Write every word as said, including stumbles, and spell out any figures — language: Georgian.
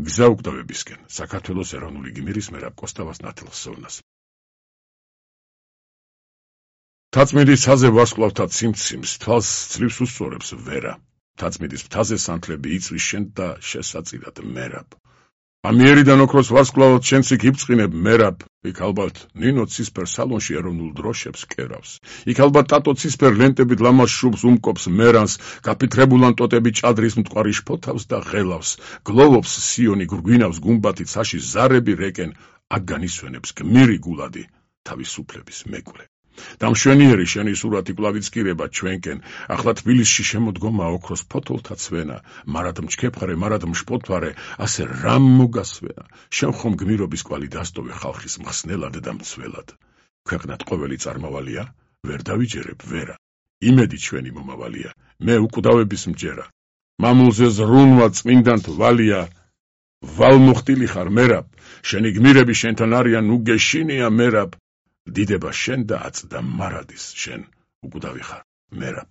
გზა უკვდავებისკენ, საქართველოს ეროვნული გმირის მერაბ კოსტავას ნათელსოვნას. თაწმიდის მთაზე ვარსკვლავთა ციმციმს თვალს ცრიფს უსწორებს ვერა. თაწმიდის მთაზე სანთლები იწვის შენ და შესაწირად მერაბ. ამიერიდან ოქროს ვარსკვლავად შენც იქ იბწყინებ მერაბ. იქ ალბათ ნინო ცისფერ სალონში ეროვნულ დროშებს კერავს. იქ ალბათ ტატო ცისფერ ლენტებით ლამაზ შუბს უმკობს მერანს, გაფიქრებულან ტოტები ჭადრის მტკვარი შფოთავს და ღელავს. გლოვობს სიონი გრგვინავს გუმბათი ცაში ზარები რეკენ, აქ განისვენებს გმირი გულადი თავისუფლების მეკვლე. დამშვენიერი შენი სურათი კვლავ იცკირება ჩვენკენ, ახლა თბილისში შემოდგომა ოქროს ფოთოლთა ცვენა, მარად მჩქეფარე, მარად მშპოთვარე, ასე რამ მოგასვენა, შენ ხომ გმირობის კვალი დასტოვე ხალხის მხსნელად და მცველად. ქვეყნად ყოველი წარმავალია, ვერ დავიჯერებ ვერა, იმედი ჩვენი მომავალია, მე უკვდავების მჯერა, მამულზე ზრუნვა წმინდანთ ვალია, ვალმოხტილი ხარ მერაბ, შენი გმირები შენთან არიან, უგეშინია მერაბ, დიდება შენ და აწდა მარადის შენ უკვდავი ხარ მერაბ.